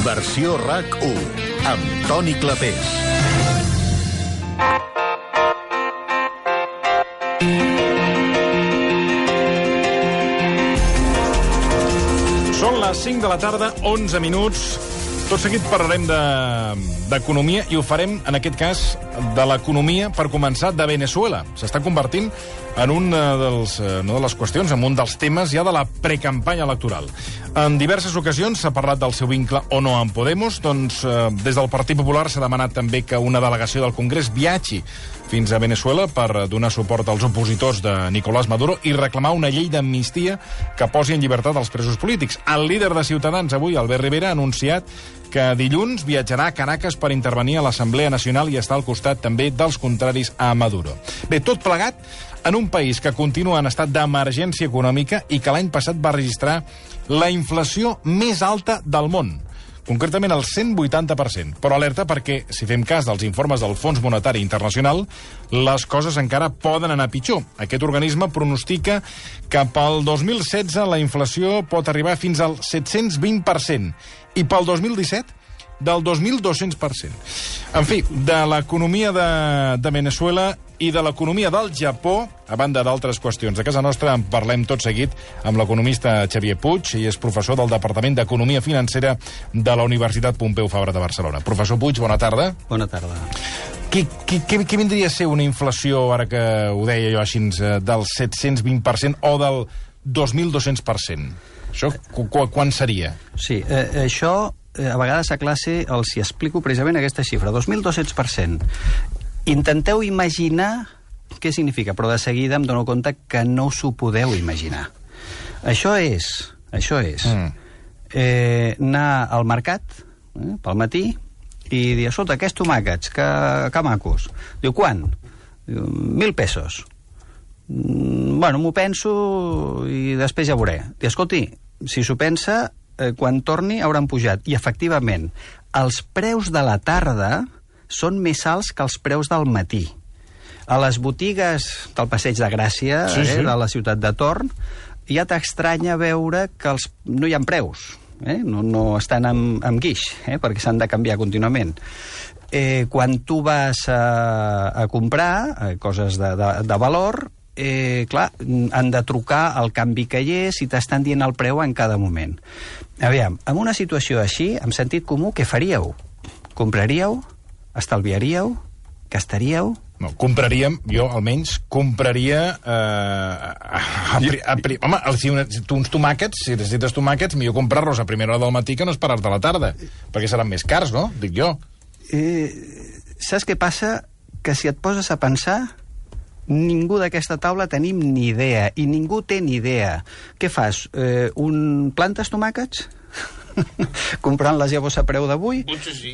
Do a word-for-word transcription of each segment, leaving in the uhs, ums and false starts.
Versió RAC u, amb Toni Clapés. Són les cinc de la tarda, onze minuts. Tot seguit parlarem d'economia i ho farem, en aquest cas, de l'economia, per començar, de Venezuela. S'està convertint en una, dels, una de les qüestions, en un dels temes ja de la precampanya electoral. En diverses ocasions s'ha parlat del seu vincle o no amb Podemos. Doncs eh, des del Partit Popular s'ha demanat també que una delegació del Congrés viatgi fins a Venezuela per donar suport als opositors de Nicolás Maduro i reclamar una llei d'amnistia que posi en llibertat els presos polítics. El líder de Ciutadans avui, Albert Rivera, ha anunciat que dilluns viatjarà a Caracas per intervenir a l'Assemblea Nacional i estar al costat també dels contraris a Maduro. Bé, tot plegat en un país que continua en estat d'emergència econòmica i que l'any passat va registrar la inflació més alta del món, concretament el cent vuitanta per cent. Però alerta perquè, si fem cas dels informes del Fons Monetari Internacional, les coses encara poden anar pitjor. Aquest organisme pronostica que pel dos mil setze la inflació pot arribar fins al set-cents vint per cent i pel dos mil disset del dos mil dos-cents per cent. En fi, de l'economia de, de Venezuela i de l'economia del Japó, a banda d'altres qüestions de casa nostra, en parlem tot seguit amb l'economista Xavier Puig, i és professor del Departament d'Economia Financera de la Universitat Pompeu Fabra de Barcelona. Professor Puig, bona tarda. Bona tarda. Què, què, què, què vindria a ser una inflació, ara que ho deia jo així, del set-cents vint per cent o del dos mil dos-cents per cent? Això qu quan seria? Sí, eh, això eh, a vegades a classe els hi explico precisament aquesta xifra, dos mil dos-cents per cent. Intenteu imaginar què significa, però de seguida em dono compte que no us ho podeu imaginar. Això és, això és mm. eh, anar al mercat eh, pel matí i dir, escolta, aquests tomàquets, que, que macos. Diu, quan? Diu, mil pesos. Mm, bueno, m'ho penso i després ja veuré. Diu, escolti, si s'ho pensa, eh, quan torni hauran pujat. I, efectivament, els preus de la tarda són més alts que els preus del matí. A les botigues del Passeig de Gràcia, sí, sí. Eh, de la ciutat de Torn, ja t'estranya veure que els, no hi ha preus, eh? no, no estan amb, amb guix, eh? perquè s'han de canviar contínuament. Eh, quan tu vas a, a comprar eh, coses de, de, de valor, eh, clar, han de trucar el canvi que hi és i t'estan dient el preu en cada moment. Aviam, en una situació així, amb sentit comú, què faríeu? Compraríeu? Estalviaríeu? Gastaríeu? No, compraríem, jo almenys, compraria... Eh, a, a, a, a, home, si, una, si tu uns tomàquets, si necessites tomàquets, millor comprar-los a primera hora del matí que no esperar-te a la tarda, perquè seran més cars, no? Dic jo. Eh, saps què passa? Que si et poses a pensar, ningú d'aquesta taula tenim ni idea, i ningú té ni idea. Què fas? Eh, un plantes tomàquets? Comprant les llavors a preu d'avui? Potser sí.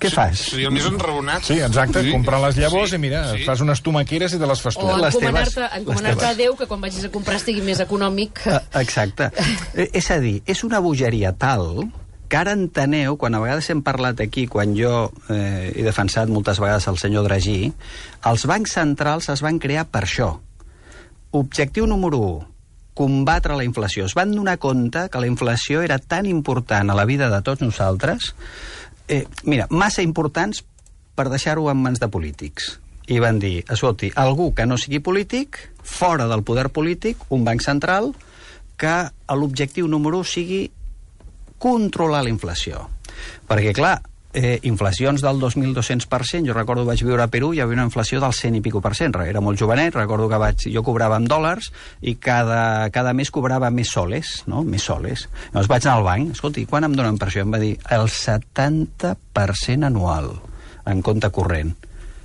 Què fas? Seria el més enraonat. Sí, exacte, sí. Comprar les llavors sí, i mira, sí. fas unes tomaqueres i te les fas tu. O les encomanar-te encomanar a Déu que quan vagis a comprar estigui més econòmic. Uh, exacte. És a dir, és una bogeria tal que ara enteneu, quan a vegades hem parlat aquí, quan jo eh, he defensat moltes vegades el senyor Draghi, els bancs centrals es van crear per això. Objectiu número u, combatre la inflació. Es van donar compte que la inflació era tan important a la vida de tots nosaltres, eh, mira, massa importants per deixar-ho en mans de polítics. I van dir, escolti, algú que no sigui polític, fora del poder polític, un banc central, que l'objectiu número u sigui controlar la inflació. Perquè, clar, Eh, inflacions del dos mil dos-cents per cent, jo recordo vaig viure a Perú, hi havia una inflació del cent i pico per cent, era molt jovenet, recordo que vaig, jo cobrava en dòlars i cada, cada mes cobrava més soles, no? Més soles. Llavors vaig anar al banc, escolti, quan em donen per això? Em va dir, el setanta per cent anual en compte corrent.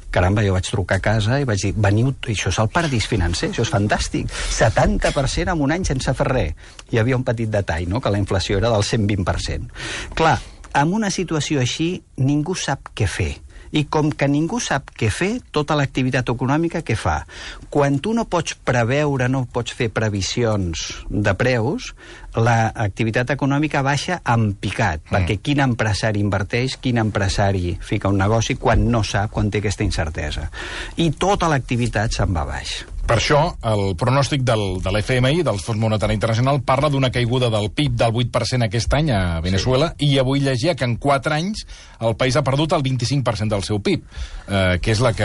Caramba, jo vaig trucar a casa i vaig dir, veniu, això és el paradís financer, això és fantàstic, setanta per cent en un any sense fer res. Hi havia un petit detall, no?, que la inflació era del cent vint per cent. Clar, en una situació així, ningú sap què fer. I com que ningú sap què fer, tota l'activitat econòmica què fa? Quan tu no pots preveure, no pots fer previsions de preus, l'activitat econòmica baixa en picat, mm. perquè quin empresari inverteix, quin empresari fica un negoci quan no sap, quan té aquesta incertesa. I tota l'activitat se'n va baix. Per això, el pronòstic del, de l'F M I, del Fons Monetari Internacional, parla d'una caiguda del P I B del vuit per cent aquest any a Venezuela, sí. I avui llegia que en quatre anys el país ha perdut el vint-i-cinc per cent del seu P I B, eh, que és la que,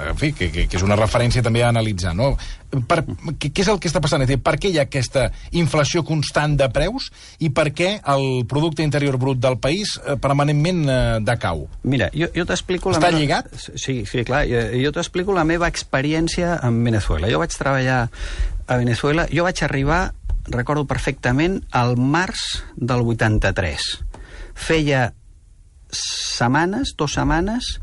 en fi, que, que, que és una referència també a analitzar, no? Per, què, què és el que està passant? És dir, per què hi ha aquesta inflació constant de preus i per què el producte interior brut del país eh, permanentment eh, decau? Mira, jo, jo t'explico... Està la meva... lligat? Sí, sí, clar. Jo, jo t'explico la meva experiència en Venezuela. Jo vaig treballar a Venezuela, jo vaig arribar, recordo perfectament, al març del vuitanta-tres. Feia setmanes, dues setmanes,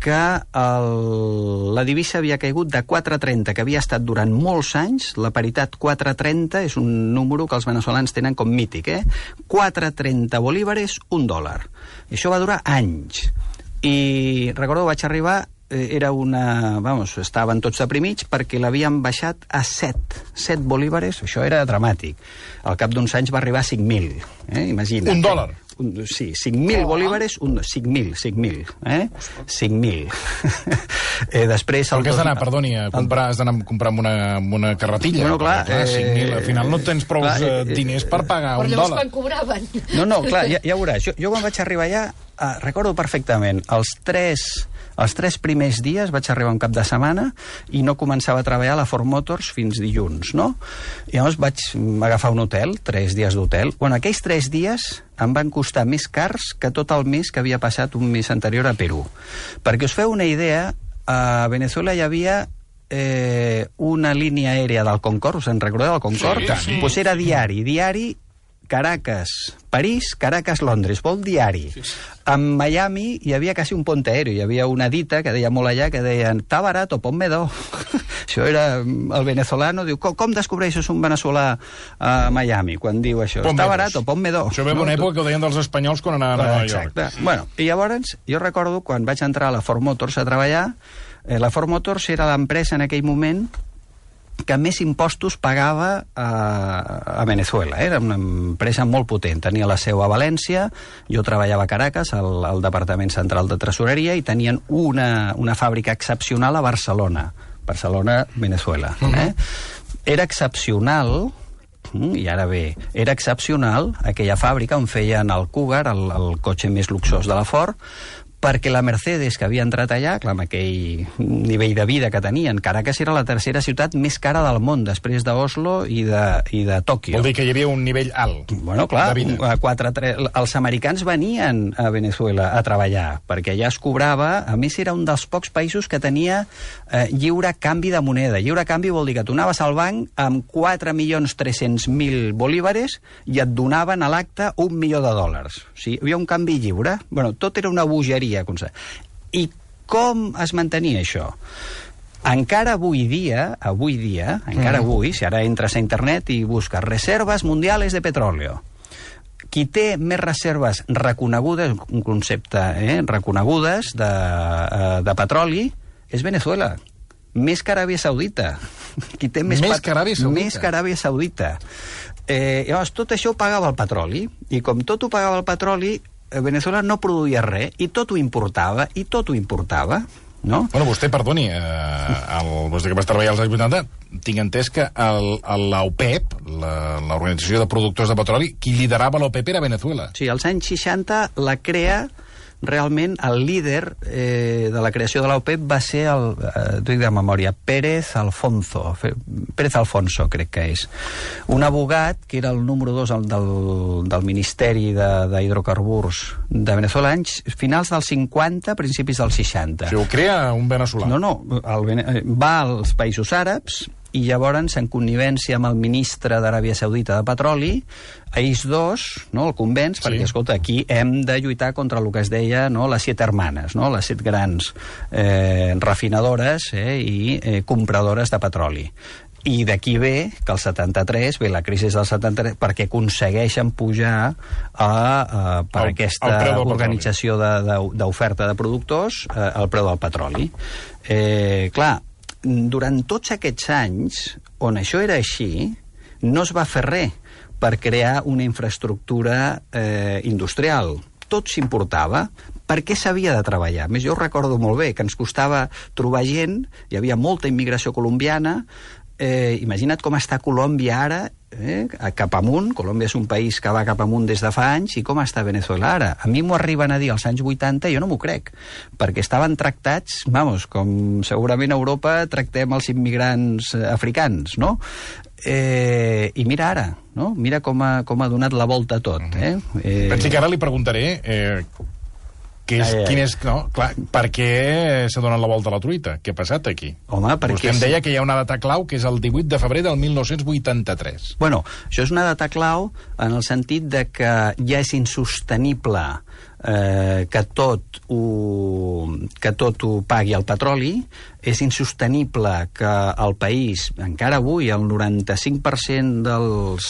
que el, la divisa havia caigut de quatre coma trenta, que havia estat durant molts anys, la paritat quatre coma trenta és un número que els veneçolans tenen com mític, eh? quatre coma trenta bolívares, un dòlar. I això va durar anys. I recordo, vaig arribar, era una... Vamos, estaven tots deprimits perquè l'havien baixat a set. set bolívares, això era dramàtic. Al cap d'uns anys va arribar a cinc mil, eh? Imagina't. Un dòlar? Un, sí, cinc mil bolívares, un, cinc mil, cinc mil, eh? cinc mil. eh, després... Però què has d'anar, perdoni, a comprar, has d'anar a comprar amb una, amb una carretilla? Bueno, clar, clar, cinc mil, al final no tens prou eh, diners per pagar però un llavors dòlar. quan cobraven? No, no, clar, ja, ja veuràs. Jo, jo quan vaig arribar allà, eh, recordo perfectament, els tres... Els tres primers dies vaig arribar un cap de setmana i no començava a treballar a la Ford Motors fins dilluns, no? I llavors vaig agafar un hotel, tres dies d'hotel. Bueno, aquells tres dies em van costar més cars que tot el mes que havia passat un mes anterior a Perú. Perquè us feu una idea, a Venezuela hi havia eh, una línia aèria del Concorde, us en recordeu del Concorde? Sí, sí. Pues era diari, diari Caracas, París, Caracas, Londres, vol diari. Sí. En Miami hi havia quasi un pont aeri, hi havia una dita que deia molt allà, que deien, «Està barat o ponme do». Això era el venezolano, diu, com, com descobreixes un veneçolà a Miami quan diu això? «Està barat o ponme do». Això ve d'una època que ho deien dels espanyols quan anaven a Nova York. Exacte. Bueno, i llavors, jo recordo, quan vaig entrar a la Ford Motors a treballar, eh, la Ford Motors era l'empresa en aquell moment que més impostos pagava a, a Venezuela. Era una empresa molt potent. Tenia la seu a València, jo treballava a Caracas, al, al Departament Central de Tresoreria, i tenien una, una fàbrica excepcional a Barcelona. Barcelona, Venezuela. Uh-huh. eh? Era excepcional, i ara bé, era excepcional aquella fàbrica on feien el Cougar, el, el cotxe més luxós de la Ford, perquè la Mercedes, que havia entrat allà, clar, amb aquell nivell de vida que tenien, Caracas era la tercera ciutat més cara del món, després d'Oslo i de, i de Tòquio. Vol dir que hi havia un nivell alt bueno, clar, de vida. quatre, tres, els americans venien a Venezuela a treballar, perquè allà es cobrava, a més era un dels pocs països que tenia eh, lliure canvi de moneda. Lliure canvi vol dir que tu anaves al banc amb quatre milions tres-cents mil bolívares i et donaven a l'acte un milió de dòlars. O sigui, hi havia un canvi lliure. Bueno, tot era una bogeria. I com es mantenia això? Encara avui dia, avui dia, encara mm. avui, si ara entres a internet i busques reserves mundiales de petróleo, qui té més reserves reconegudes, un concepte, eh, reconegudes de, de petroli, és Venezuela. Més que Aràbia Saudita. Qui té més, més pat... que Aràbia Saudita. Més que Aràbia Saudita. Eh, llavors, tot això ho pagava el petroli, i com tot ho pagava el petroli, Venezuela no produïa res, i tot ho importava, i tot ho importava, no? Bueno, vostè, perdoni, eh, el, vostè que va treballar als anys vuitanta, tinc entès que el, el, l'OPEP, l'Organització de Productors de Petroli, qui liderava l'OPEP era Venezuela. Sí, als anys seixanta la crea... Realment, el líder eh, de la creació de l'OPEP va ser, el, eh, t'ho dic de memòria, Pérez Alfonso, Pérez Alfonso, crec que és. Un abogat que era el número dos del, del Ministeri d'Hidrocarburs de, de Venezuela, anys finals dels cinquanta, principis dels seixanta. Si ho crea un veneçolà. No, no, el, va als països àrabs, i llavors, en connivència amb el ministre d'Aràbia Saudita de Petroli, ells dos, no, el convenç, sí. perquè, escolta, aquí hem de lluitar contra el que es deia, no, les set hermanes, no, les set grans eh, refinadores eh, i eh, compradores de petroli. I d'aquí ve que el setanta-tres, ve la crisi del setanta-tres, perquè aconsegueixen pujar a, a, per el, aquesta organització d'oferta de, de, de productors eh, el preu del petroli. Eh, clar, durant tots aquests anys, on això era així, no es va fer res, per crear una infraestructura eh, industrial. Tot s'importava. Per què s'havia de treballar? A més, jo ho recordo molt bé, que ens costava trobar gent, hi havia molta immigració colombiana. Eh, imagina't com està Colòmbia ara, eh, cap amunt. Colòmbia és un país que va cap amunt des de fa anys, i com està Venezuela ara? A mi m'ho arriben a dir als anys vuitanta, jo no m'ho crec, perquè estaven tractats, vamos, com segurament a Europa tractem els immigrants africans, no? Eh, I mira ara, no? Mira com ha, com ha donat la volta a tot. Eh? Eh... Pensi que ara li preguntaré... Eh... Que és, ai, ai. Quin és, no, clar, per què s'ha donat la volta a la truita? Què ha passat aquí? Home, perquè... Vostè em deia que hi ha una data clau, que és el divuit de febrer del mil nou-cents vuitanta-tres. Bueno, això és una data clau en el sentit de que ja és insostenible eh, que, tot ho, que tot ho pagui el petroli, és insostenible que el país, encara avui, el noranta-cinc per cent dels,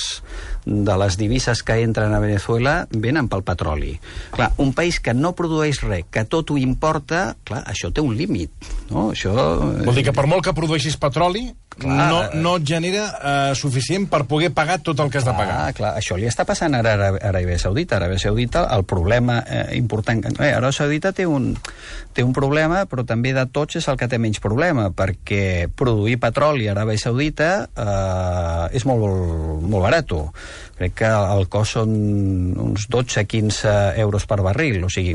de les divises que entren a Venezuela venen pel petroli. Clar, un país que no produeix res, que tot ho importa, clar, això té un límit, no? Això... Vol dir que per molt que produeixis petroli, clar, no, no et genera eh, suficient per poder pagar tot el que has clar, de pagar. Clar, això li està passant ara a Aràbia Saudita. Aràbia Saudita, el problema eh, important... Eh, Aràbia Saudita té un, té un problema, però també de tots és el que té menys problema, perquè produir petroli a Aràbia Saudita eh, és molt, molt barat. Crec que el cost són uns dotze a quinze euros per barril, o sigui,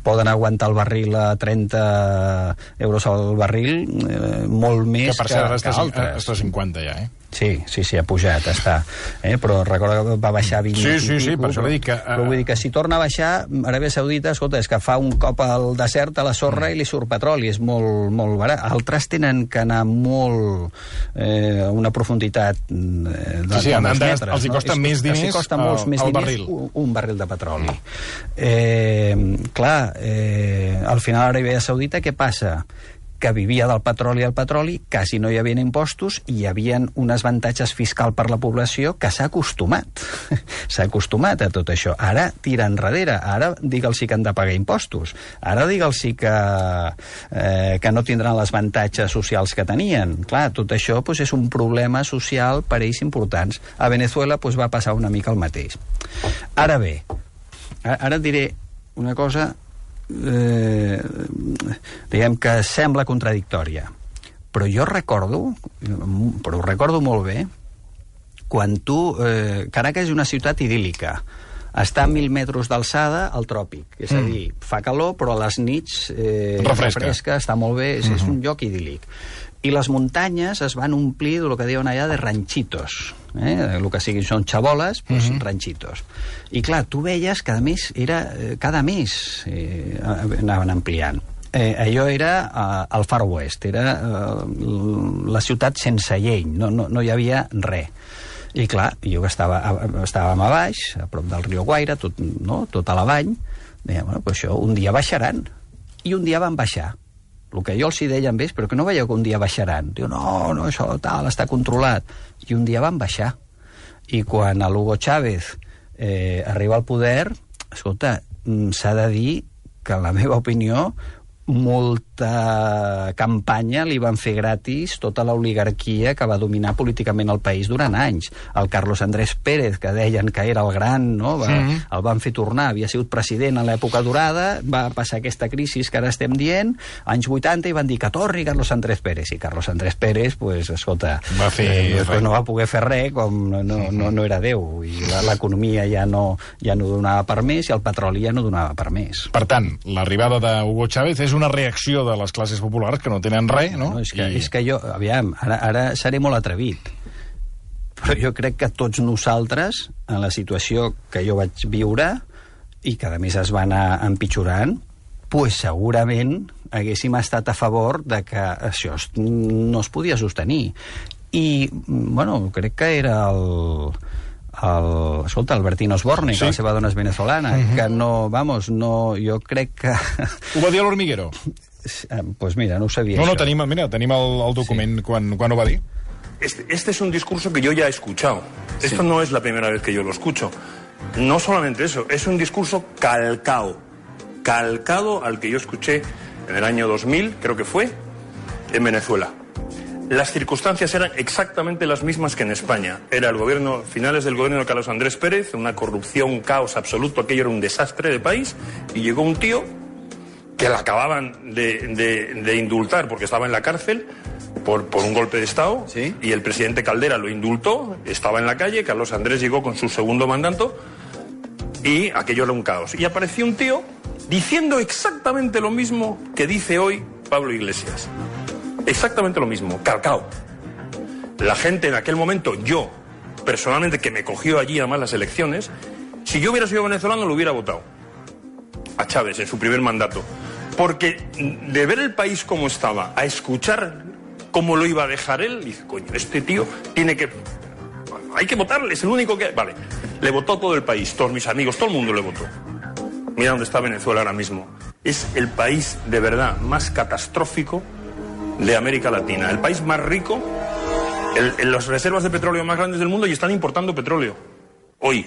poden aguantar el barril a trenta euros al barril, eh, molt més que, per que, cert, que està, altres. està a cinquanta ja, eh? Sí, sí, sí, ha pujat, està. Eh? Però recorda que va baixar vint sí, i sí, sí, pico, per això però, dic que... Uh... però vull dir que si torna a baixar, Aràbia Saudita, escolta, és que fa un cop al desert a la sorra mm. i li surt petroli, és molt, molt barat. Altres tenen que anar molt eh, a una profunditat eh, de, sí, sí, de molts de, metres. els hi costa no? més diners, els costa molts el, més el diners barril. Un, un barril de petroli. Eh, clar, eh, al final Aràbia Saudita què passa? Que vivia del petroli al petroli, quasi no hi havia impostos i hi havia un avantatges fiscal per la població que s'ha acostumat. S'ha acostumat a tot això. Ara tira enrere, ara digue'ls que han de pagar impostos, ara digue'ls que, eh, que no tindran els avantatges socials que tenien. Clar, tot això pues, és un problema social per ells importants. A Venezuela pues, va passar una mica el mateix. Ara bé, ara et diré una cosa... Eh, diguem que sembla contradictòria, però jo recordo, però ho recordo molt bé, quan tu... Eh, Caracas és una ciutat idíl·lica, està a mil metres d'alçada al tròpic, és a dir, fa calor, però a les nits eh, refresca. refresca, està molt bé, és, uh-huh. és un lloc idíl·lic. I les muntanyes es van omplir del que diuen allà de ranchitos, eh? El que siguin són xaboles, doncs uh-huh. ranchitos. I clar, tu veies que a més era eh, cada mes eh, anaven ampliant. Eh, allò era eh, el Far West, era eh, la ciutat sense llei, no, no, no hi havia res. I clar, jo que estava, estàvem a baix, a prop del riu Guaire, tot, no? Tot a la vall, deia, bueno, pues això un dia baixaran. I un dia van baixar. El que jo els hi deia amb ells, però que no veieu que un dia baixaran. Diu, no, no, això tal, està controlat. I un dia van baixar. I quan a l'Hugo Chávez eh, arriba al poder, escolta, s'ha de dir que, en la meva opinió, molta campanya li van fer gratis tota l'oligarquia que va dominar políticament el país durant anys. El Carlos Andrés Pérez, que deien que era el gran, no? Va, sí. El van fer tornar, havia sigut president en l'època dorada, va passar aquesta crisi que ara estem dient, anys vuitanta, i van dir que torni Carlos Andrés Pérez, i Carlos Andrés Pérez, pues, escolta, va fer, eh, pues no va poder fer res, com no, no, no era Déu, i l'economia ja no, ja no donava per més, i el petroli ja no donava per més. Per tant, l'arribada d'Hugo Chávez és una reacció de les classes populars que no tenen res, no? no és, que, I... és que jo, aviam, ara, ara seré molt atrevit, però jo crec que tots nosaltres, en la situació que jo vaig viure, i que a més es va anar empitjorant, pues segurament haguéssim estat a favor de que això no es podia sostenir. I, bueno, crec que era el... El, escolta, Albertino Osborne, sí. Que la seva dona és venezolana, uh-huh. que no, vamos, no, jo crec que... Ho va dir a l'Hormiguero? Pues mira, no ho sabia. No, això. no, tenim, mira, tenim el, el document sí. quan, quan ho va dir. Este, este es un discurso que yo ya he escuchado. Sí. Esto no es la primera vez que yo lo escucho. No solamente eso, es un discurso calcado, calcado al que yo escuché en el año dos mil, creo que fue, en Venezuela. las circunstancias eran exactamente las mismas que en España. Era el gobierno, finales del gobierno de Carlos Andrés Pérez, una corrupción, un caos absoluto, aquello era un desastre de país, y llegó un tío que la acababan de, de, de indultar porque estaba en la cárcel por, por un golpe de Estado, ¿sí? Y el presidente Caldera lo indultó, estaba en la calle, Carlos Andrés llegó con su segundo mandato y aquello era un caos. Y apareció un tío diciendo exactamente lo mismo que dice hoy Pablo Iglesias. Exactamente lo mismo, calcao. La gente en aquel momento, yo, personalmente, que me cogió allí además las elecciones, si yo hubiera sido venezolano lo hubiera votado a Chávez en su primer mandato. Porque de ver el país como estaba, a escuchar cómo lo iba a dejar él, dice, coño, este tío tiene que... Hay que votarle, es el único que... Vale, le votó todo el país, todos mis amigos, todo el mundo le votó. Mira dónde está Venezuela ahora mismo. Es el país de verdad más catastrófico de América Latina. El país más rico, el, en las reservas de petróleo más grandes del mundo, y están importando petróleo. Hoy.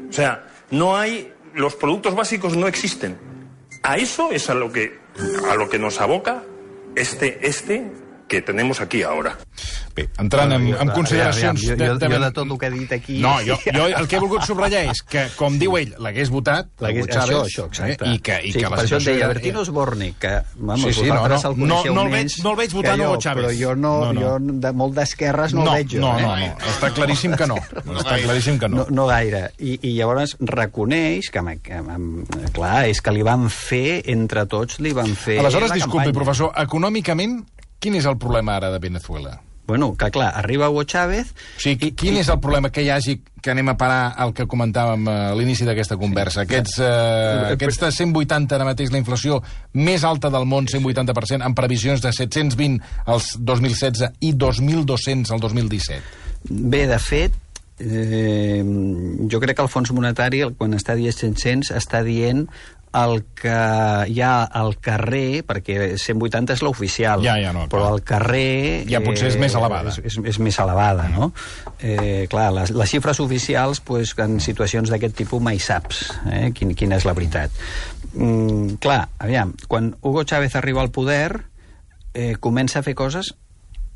O sea, no hay... Los productos básicos no existen. A eso es a lo que, a lo que nos aboca este, este que tenemos aquí ara. Bé, entrant en, en consideracions... Jo, jo, de, jo de tot el que he dit aquí... No, jo, jo el que he volgut subratllar és que, com diu ell, l'hagués votat, Chávez, això, això, exacte. Eh, i que, i sí, que la per això et deia, era... Bertino Osborne, que vamos, sí, sí, vosaltres no, no, el coneixeu no, no el menys... Veig, no el veig votant jo, Hugo Chávez. Però jo, no, no, no. jo de, molt d'esquerres no, no el veig jo. No, eh? no, no, està claríssim que no. Està claríssim que no. No, no gaire. I, I llavors reconeix que, que, que, clar, és que li van fer, entre tots, li van fer Aleshores, la disculpi, campanya. professor, econòmicament, quin és el problema ara de Venezuela? Bueno, que clar, arriba Hugo Chávez... O sigui, quin és el problema que hi hagi que anem a parar al que comentàvem a l'inici d'aquesta conversa? Aquests, eh, aquests cent vuitanta, ara mateix, la inflació més alta del món, cent vuitanta per cent, amb previsions de set-cents vint als dos mil setze i dos mil dos-cents al dos mil disset. Bé, de fet, eh, jo crec que el Fons Monetari, quan està dient set-cents, està dient el que hi ha al carrer, perquè cent vuitanta és l'oficial, ja, ja, no, però al carrer... Ja potser és més elevada. És, és, és més elevada, no? Eh, clar, les, les xifres oficials, pues, en situacions d'aquest tipus mai saps eh, quin, quina és la veritat. Mm, clar, aviam, quan Hugo Chávez arriba al poder, eh, comença a fer coses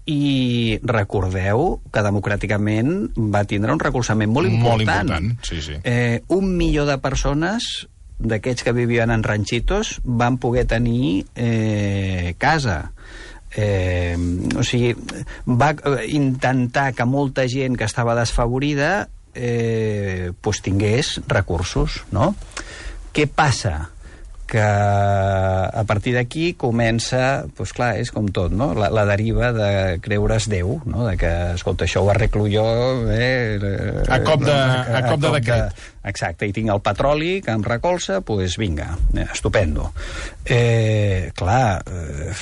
i recordeu que democràticament va tindre un recolzament molt important. Molt important, sí, sí. Eh, un milió de persones d'aquests que vivien en ranchitos van poder tenir eh, casa. Eh, o sigui, va intentar que molta gent que estava desfavorida eh, pues tingués recursos, no? Què passa? Que a partir d'aquí comença, doncs clar, és com tot, no? La, la deriva de creure's Déu, no? De que, escolta, això ho arreglo jo... Eh, a cop de, a, a cop de cop decret. De, exacte, i tinc el petroli que em recolza, doncs pues vinga, eh, estupendo. Eh, clar, eh,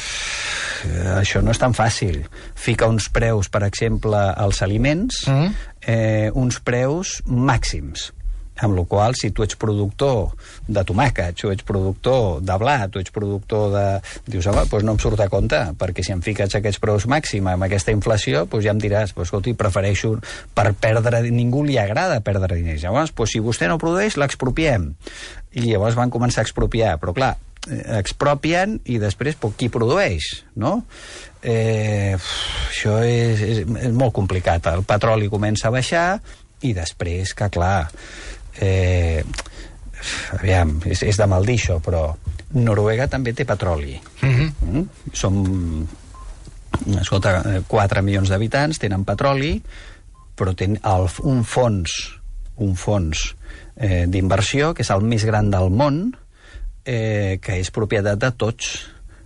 això no és tan fàcil. Fica uns preus, per exemple, als aliments, mm. eh, uns preus màxims, amb la qual si tu ets productor de tomàquet, o ets productor de blat, o ets productor de... Dius, home, doncs no em surt a compte, perquè si em fiques aquests preus màxims amb aquesta inflació, doncs ja em diràs, doncs, escolti, prefereixo per perdre... Ningú li agrada perdre diners. Llavors, doncs, si vostè no produeix, l'expropiem. I llavors van començar a expropiar, però clar, expropien i després doncs, qui produeix, no? Eh, això és, és, és molt complicat. El petroli comença a baixar i després, que clar... Eh, aviam, és, és de mal dir això, però Noruega també té petroli. Mm-hmm. Mm? Som, escolta, quatre milions d'habitants, tenen petroli, però tenen el, un fons, un fons eh, d'inversió, que és el més gran del món, eh, que és propietat de tots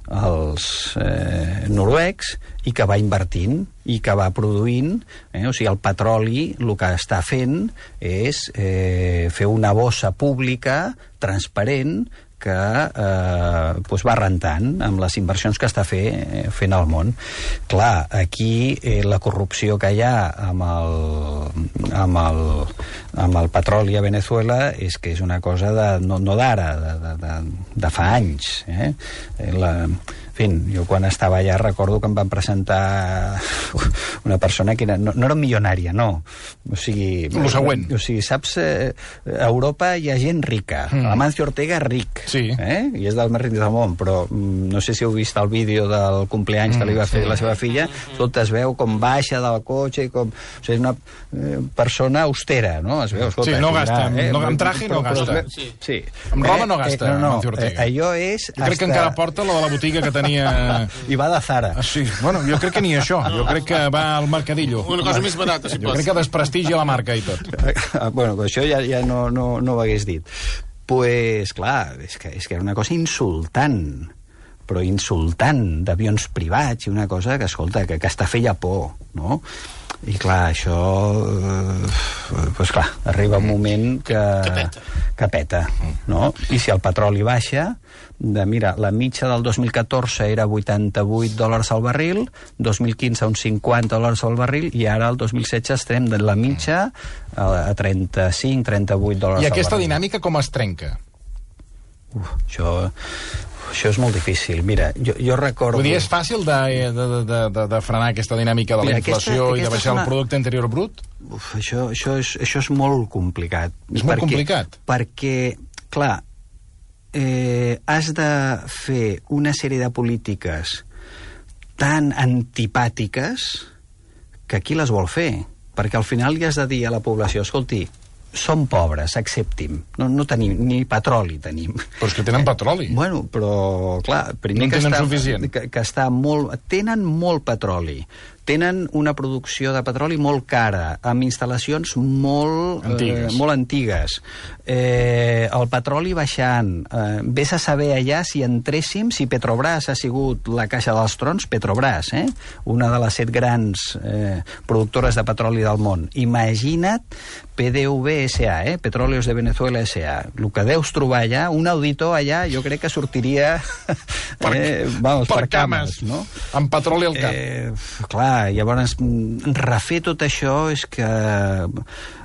els eh, noruecs i que va invertint i que va produint, eh? O sigui, el petroli el que està fent és eh, fer una bossa pública transparent que eh, doncs va rentant amb les inversions que està fer, eh, fent al món. Clar, aquí eh, la corrupció que hi ha amb el, amb el, amb el petroli a Venezuela és que és una cosa de, no, no d'ara, de, de, de, de fa anys. Eh? La, en fi, jo quan estava allà recordo que em van presentar una persona que era, no, no era milionària, no. O sigui... Lo següent. O sigui, saps, eh, a Europa hi ha gent rica. Mm. Amancio Ortega és ric. Sí. Eh? I és dels més rics del món, però mm, no sé si heu vist el vídeo del cumpleaños mm, que li va fer sí. la seva filla. Tot es veu com baixa del cotxe i com... O sigui, és una eh, persona austera, no? Es veu, escolta, sí, no gasta. Eh? No, amb traje no però, gasta. Però, sí. sí. Amb roba no gasta, eh, no, no, Amancio Ortega. Eh, allò és... Jo crec hasta... que encara porta la de la botiga que tenia... I va de Zara. Ah, sí, bueno, jo crec que ni això. Jo crec que va al Mercadillo. Una cosa més barata, si jo pots. crec que desprestigia la marca i tot. Bueno, això ja, ja no, no, no ho hagués dit. Pues, clar, és que, és que era una cosa insultant, però insultant, d'avions privats, i una cosa que, escolta, que, que està feia por, no? I clar, això... Eh, pues clar, arriba un moment que... Que peta. Que peta, no? I si el petroli baixa... De, mira, la mitja del dos mil catorze era vuitanta-vuit dòlars al barril, dos mil quinze uns cinquanta dòlars al barril, i ara el dos mil setze estem de la mitja a trenta-cinc trenta-vuit dòlars al barril. I aquesta dinàmica com es trenca? Uf, això... Això és molt difícil. Mira, jo, jo recordo... Vull dir, és fàcil de, de, de, de, de frenar aquesta dinàmica de la Mira, inflació aquesta, i de aquesta baixar una... el producte interior brut? Uf, això, això, és, això és molt complicat. És molt complicat? Perquè, clar, eh, has de fer una sèrie de polítiques tan antipàtiques que qui les vol fer? Perquè al final li has de dir a la població, escolti, som pobres, accepti'm. No, no tenim, ni petroli tenim. Però és que tenen petroli. Bueno, però, clar, primer no que, tenen està, suficient. que, que està molt... Tenen molt petroli. Tenen una producció de petroli molt cara, amb instal·lacions molt antigues. Eh, molt antigues. Eh, el petroli baixant. Eh, vés a saber allà si entréssim, si Petrobras ha sigut la caixa dels trons, Petrobras, eh? Una de les set grans eh, productores de petroli del món. Imagina't P D V S A, eh? Petróleos de Venezuela S A. El que deus trobar allà, un auditor allà, jo crec que sortiria per, eh, vamos, per, per cames, no? Amb petroli al cap. Eh, clar, llavors refer tot això és que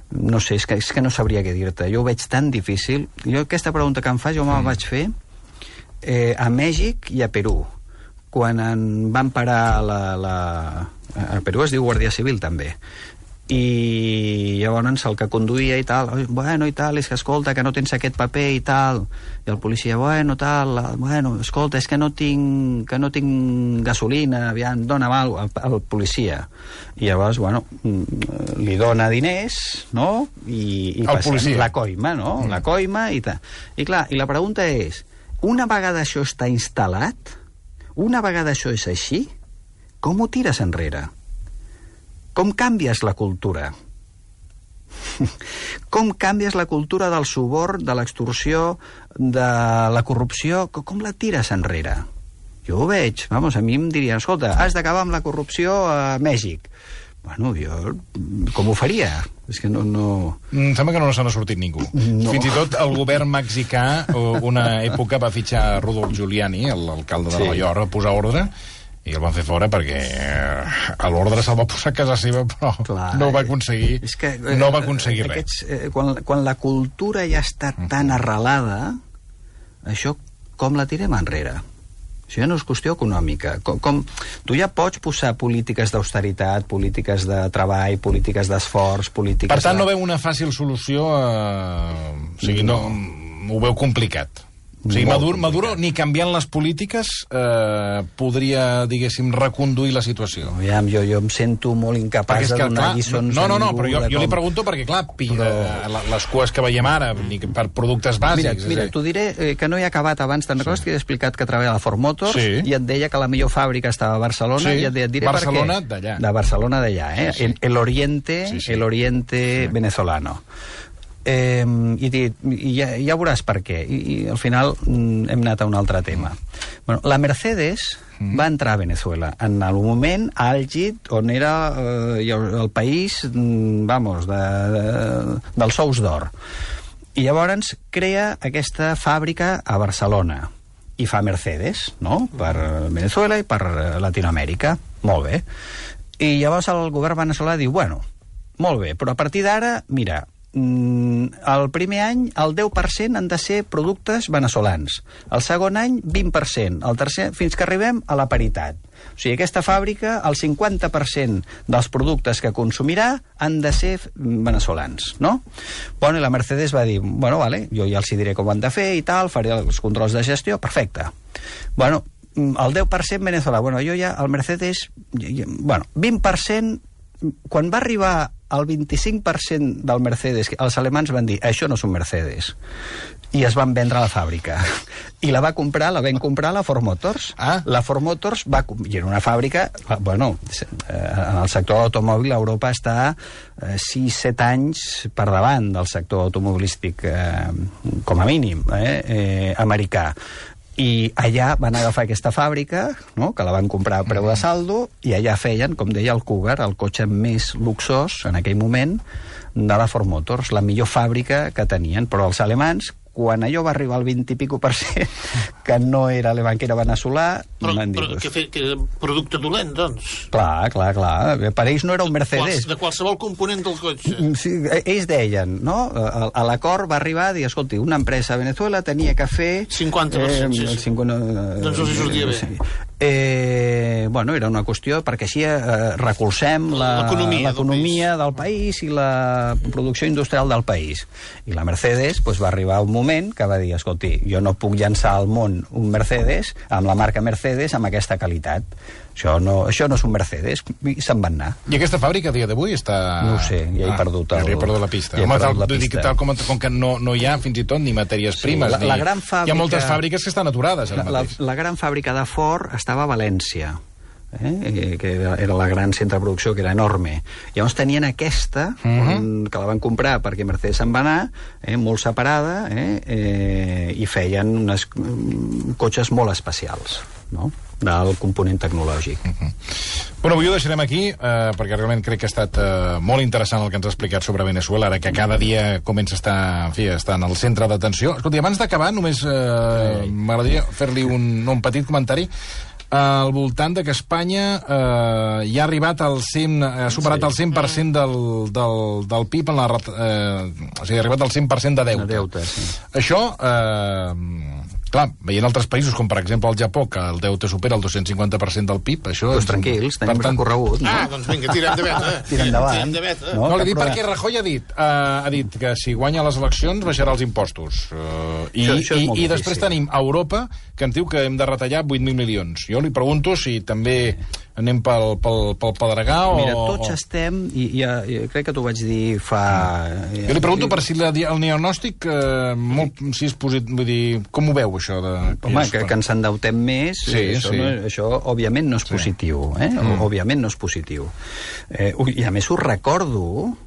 no sé, és que, és que no sabria què dir-te. Jo ho veig tan difícil. Jo aquesta pregunta que em fas jo me la vaig fer eh, a Mèxic i a Perú, quan en van parar la, la... a Perú es diu Guàrdia Civil també, i llavors el que conduïa i tal, bueno, i tal, és que escolta, que no tens aquest paper i tal, i el policia, bueno, tal, bueno, escolta, és que no tinc, que no tinc gasolina, aviam, dona mal al, al policia. I llavors, bueno, li dona diners, no? I, i el policia. La coima, no? Mm. La coima i tal. I clar, i la pregunta és, una vegada això està instal·lat, una vegada això és així, com ho tires enrere? Com canvies la cultura? Com canvies la cultura del suborn, de l'extorsió, de la corrupció? Com la tires enrere? Jo ho veig. Vamos, a mi em dirien, escolta, has d'acabar amb la corrupció a Mèxic. Bueno, jo com ho faria? És que no... no... Em sembla que no se n'ha sortit ningú. No. Fins i tot el govern mexicà una època va fitxar Rudolf Giuliani, l'alcalde de sí. Nova York, a posar ordre, i el van fer fora perquè a l'ordre se'l va posar a casa seva, però clar, no va aconseguir, és que, eh, no va aconseguir aquests, res. Eh, quan, quan la cultura ja està tan arrelada, això com la tirem enrere? Això ja no és qüestió econòmica. Com, com, tu ja pots posar polítiques d'austeritat, polítiques de treball, polítiques d'esforç, polítiques... Per tant, de... no veu una fàcil solució, eh... o sigui, no, no ho veu complicat. O sigui, Maduro, Maduro, ni canviant les polítiques, eh, podria, diguéssim, reconduir la situació. Aviam, jo, jo em sento molt incapaç de donar clar, lliçons no, no, no, a ningú. Però jo, jo li pregunto perquè, clar, però... les cues que veiem ara, per productes bàsics... Mira, mira t'ho diré eh, que no he acabat abans, te'n recordes sí. que he explicat que treballa a la Ford Motors sí. i et deia que la millor fàbrica estava a Barcelona sí. i et, et diré Barcelona per què. d'allà. De Barcelona d'allà, eh? Sí, sí. El, el Oriente, sí, sí. el Oriente sí. venezolano. Eh, i, i ja, ja veuràs per què i, i al final mm, hem anat a un altre tema. Bueno, la Mercedes mm. va entrar a Venezuela en el moment àlgid on era eh, el país mm, vamos, de, de, dels sous d'or, i llavors crea aquesta fàbrica a Barcelona i fa Mercedes, no? Per Venezuela i per Latinoamèrica. Molt bé. I llavors el govern veneçolà diu, bueno, molt bé, però a partir d'ara, mira, el primer any el deu per cent han de ser productes veneçolans, el segon any vint per cent, el tercer fins que arribem a la paritat. O sigui, aquesta fàbrica, el cinquanta per cent dels productes que consumirà han de ser veneçolans, no? Bueno, i la Mercedes va dir, bueno, vale, jo ja els diré com ho han de fer i tal, faré els controls de gestió, perfecte. Bueno, el deu per cent veneçolà, bueno, jo ja, el Mercedes, bueno, vint per cent, quan va arribar el vint-i-cinc per cent del Mercedes, els alemans van dir, això no és un Mercedes, i es van vendre a la fàbrica. I la va comprar, la vam comprar la Ford Motors. Ah. La Ford Motors va... I era una fàbrica... Bueno, en el sector de l'automòbil Europa està sis set anys per davant del sector automobilístic, eh, com a mínim, eh, eh, americà. I allà van agafar aquesta fàbrica, no?, que la van comprar a preu de saldo, i allà feien, com deia el Cougar, el cotxe més luxós en aquell moment de la Ford Motors, la millor fàbrica que tenien. Però els alemans, quan allò va arribar al vint i pico per cent, que no era alemany, que era veneçolà, però, van dir... Però que, fe, que era producte dolent, doncs. Clar, clar, clar. Per ells no era un Mercedes. De qualsevol component del cotxe. Sí, ells deien, no? A, a l'acord va arribar a dir, escolti, una empresa a Venezuela tenia que fer... cinquanta per cent, eh, sí. cinquanta, eh, doncs els sortia bé. Sí. Eh, bueno, era una qüestió perquè així eh, recolzem l'economia del, del país i la producció industrial del país. I la Mercedes pues, va arribar un moment que va dir, escolti, jo no puc llançar al món un Mercedes amb la marca Mercedes amb aquesta qualitat. Això no, això no és un Mercedes, i se'n van anar. I aquesta fàbrica a dia d'avui està... No ho sé, ja he ah, perdut el... Ja he perdut la pista. Ja Home, tal, la pista. Dic, tal com, com que no, no hi ha fins i tot ni matèries sí, primes, la, ni... la gran fàbrica... Hi ha moltes fàbriques que estan aturades ara la, mateix. La, la gran fàbrica de Ford estava a València, eh? que era, era la gran centre de producció, que era enorme. Llavors tenien aquesta, uh -huh. que la van comprar perquè Mercedes se'n va anar, eh? molt separada, eh? Eh, i feien unes um, cotxes molt especials, no?, del component tecnològic. Uh -huh. Bueno, avui ho deixarem aquí, eh, perquè realment crec que ha estat eh, molt interessant el que ens ha explicat sobre Veneçuela, ara que cada dia comença a estar, en fi, a estar en el centre d'atenció. Escolti, abans d'acabar, només eh, m'agradaria fer-li un, un petit comentari al voltant de que Espanya eh, ja ha arribat al cent, ha superat sí. el cent per cent del, del, del P I B en la, eh, o sigui, ha arribat al cent per cent de deute. De deute sí. Això, eh, clar, veient altres països, com per exemple el Japó, que el deute supera el dos-cents cinquanta per cent del P I B, això... Doncs tranquils, tenim tant... recorregut, no? Ah, doncs vinga, tirem de veta. Tirem endavant. No, no li dic perquè Rajoy ha dit, uh, ha dit que si guanya les eleccions baixarà els impostos. Uh, I, això, això i, i després tenim Europa, que ens diu que hem de retallar vuit mil milions. Jo li pregunto si també anem pel, pel, pel pedregar o... Mira, tots estem, i, i, i crec que t'ho vaig dir fa... Jo li pregunto per si la, el diagnòstic, eh, molt, si és positiu, vull dir, com ho veu, això? De, Home, que, que ens endeutem més, sí, això, sí. no, això òbviament no és sí. positiu, eh? Mm. Òbviament no és positiu. Eh, I a més us recordo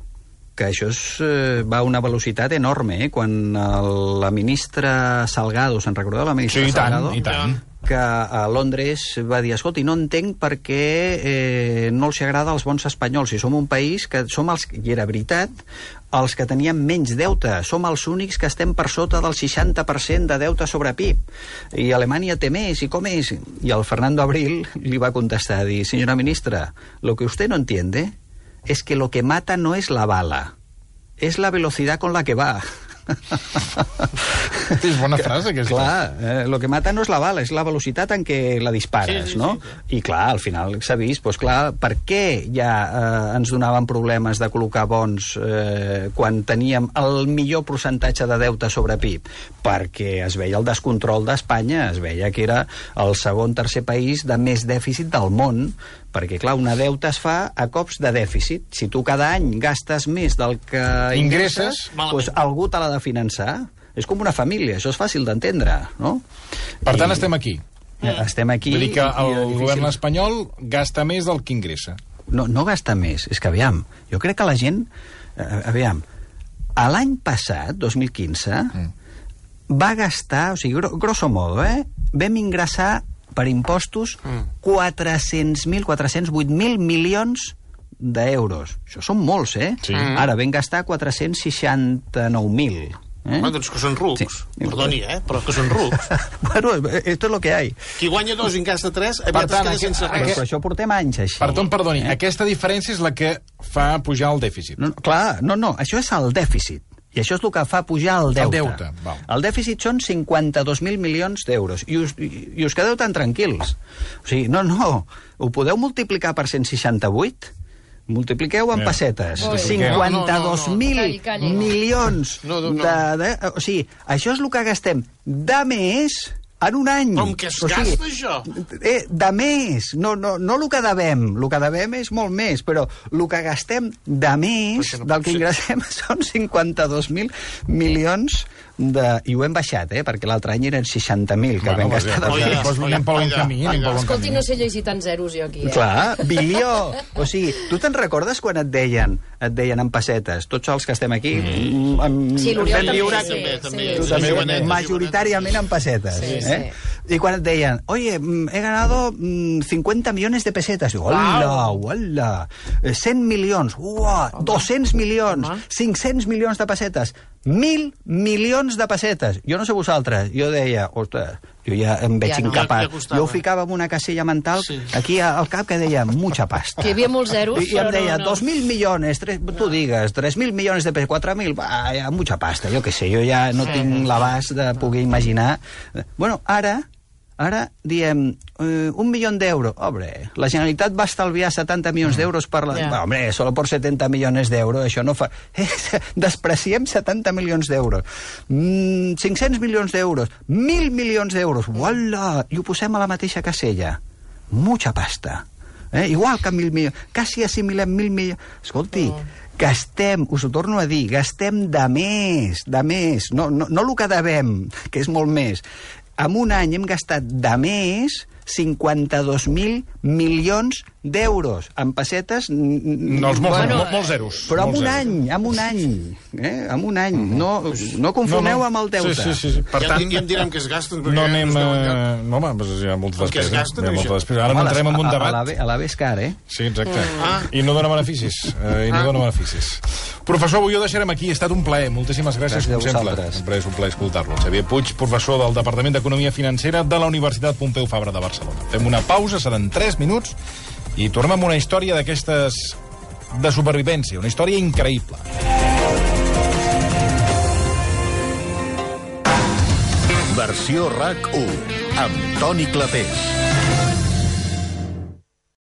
que això és, eh, va a una velocitat enorme, eh? Quan el, la ministra Salgado, se'n recordeu la ministra sí, i tant, Salgado? I tant. Que a Londres va dir, escolti, no entenc per què eh, no els agrada als bons espanyols, si som un país que som els, i era veritat, els que teníem menys deute, som els únics que estem per sota del seixanta per cent de deute sobre P I B, i Alemanya té més, i com és? I el Fernando Abril li va contestar, dir, senyora ministra, lo que usted no entiende es que lo que mata no es la bala, es la velocidad con la que va. És bona frase, aquesta. Clar, eh, lo que mata no és la bala, és la velocitat en què la dispares, sí, sí, no? Sí, sí. I clar, al final s'ha vist, doncs clar, per què ja eh, ens donaven problemes de col·locar bons eh, quan teníem el millor percentatge de deute sobre P I B? Perquè es veia el descontrol d'Espanya, es veia que era el segon, tercer país de més dèficit del món, perquè, clar, una deute es fa a cops de dèficit. Si tu cada any gastes més del que ingresses, doncs algú te l'ha de finançar. És com una família, això és fàcil d'entendre, no? Per tant, I... estem aquí. Estem aquí... Vull dir que el govern espanyol gasta més del que ingressa. No, no gasta més, és que, aviam, jo crec que la gent... Eh, aviam, l'any passat, dos mil quinze, mm. va gastar, o sigui, grosso modo, eh, vam ingressar per impostos mm. quatre-cents mil, quatre-cents vuit mil milions d'euros. Això són molts, eh? Sí. Ara vam gastar quatre-cents seixanta-nou mil. Eh? Home, doncs que són rucs. Sí. Perdoni, eh? Però que són rucs. Bueno, esto es lo que hay. Qui guanya dos i en gasta tres, aviat es queda sense res. Però això portem anys així. Perdó, perdoni, eh? Aquesta diferència és la que fa pujar el dèficit. No, clar, no, no, això és el dèficit. I això és el que fa pujar el deute. El deute, val. El dèficit són cinquanta-dos mil milions d'euros. I us, i, I us quedeu tan tranquils. O sigui, no, no, ho podeu multiplicar per cent seixanta-vuit? Multipliqueu en pessetes. cinquanta-dos mil milions no, no, no. de, de... O sigui, això és el que gastem de més en un any. Com que es o sigui, gasta, això? Eh, de més. No, no, no el que devem. El que devem és molt més, però el que gastem de més no del que ingressem són cinquanta-dos mil milions de... I ho hem baixat, eh? Perquè l'altre any eren seixanta mil que bueno, vam gastar. Doncs ja, doncs anem pel bon camí. Escolti, no sé llegir tants zeros jo aquí. Eh? Clar, bilió. O sigui, tu te'n recordes quan et deien et deien en pessetes, tots els que estem aquí... Mm. Amb, sí, l'Oriol també. Lliure, Sí, també, sí, també. sí, tu sí, també, sí, majoritàriament en pessetes. Sí, eh? Sí. I quan et deien, oye, he ganado cincuenta millones de pesetas. Diu, hola, hola, cent milions, uah, doscents milions, cinc-cents milions de pessetes, mil milions de pessetes. Jo no sé vosaltres, jo deia, ostres, jo ja em veig Ja no. incapaç. Ja- ja Jo ho ficava en una casella mental Sí. aquí al cap que deia mucha pasta. Que hi havia molts zeros, I, i em però deia, no, no. dos mil millones, tres, tu digues, tres mil milions de pesos, quatre mil, va, ja, mucha pasta, jo què sé, jo ja no tinc l'abast de poder imaginar. Bueno, ara, ara diem, eh, un milió d'euros, hombre, la Generalitat va estalviar setanta milions d'euros per la... Ja. Va, hombre, solo por setenta milions d'euros, això no fa... Eh, despreciem setanta milions d'euros. Mm, cinc-cents milions d'euros, mil milions d'euros, uala, i ho posem a la mateixa casella. Mucha pasta. Eh? Igual que mil milions, quasi assimilem mil milions. Escolti, oh. gastem, us ho torno a dir, gastem de més, de més, no, no, no el que devem, que és molt més. En un any hem gastat de més cinquanta-dos mil milions d'euros. En pessetes... No, els molts, bueno, bueno, molts zeros. però en molts un zeros. any, en un any. Eh? En un any. No, no confoneu no, no. amb el deute. Sí, sí, sí. Per Ja, tant, ja em direm que es gasten. no anem... No A... No, home, doncs hi ha moltes El que es despeses. gasten, Hi ha això. moltes despeses. Ara no entrem en un A la, debat. B, a la B és car, eh? Sí, exacte. Ah. I no dona beneficis. Eh, I no Ah. dona beneficis. Professor, avui ho deixarem aquí. Ha estat un plaer. Moltíssimes gràcies, Gràcies a com sempre. vosaltres. Sempre és un plaer escoltar-lo. Xavier Puig, professor del Departament d'Economia Financera de la Universitat Pompeu Fabra de Barcelona. Fem una pausa, seran tres minuts, i tornem amb una història d'aquestes de supervivència. Una història increïble. Versió RAC u amb Toni Clapés.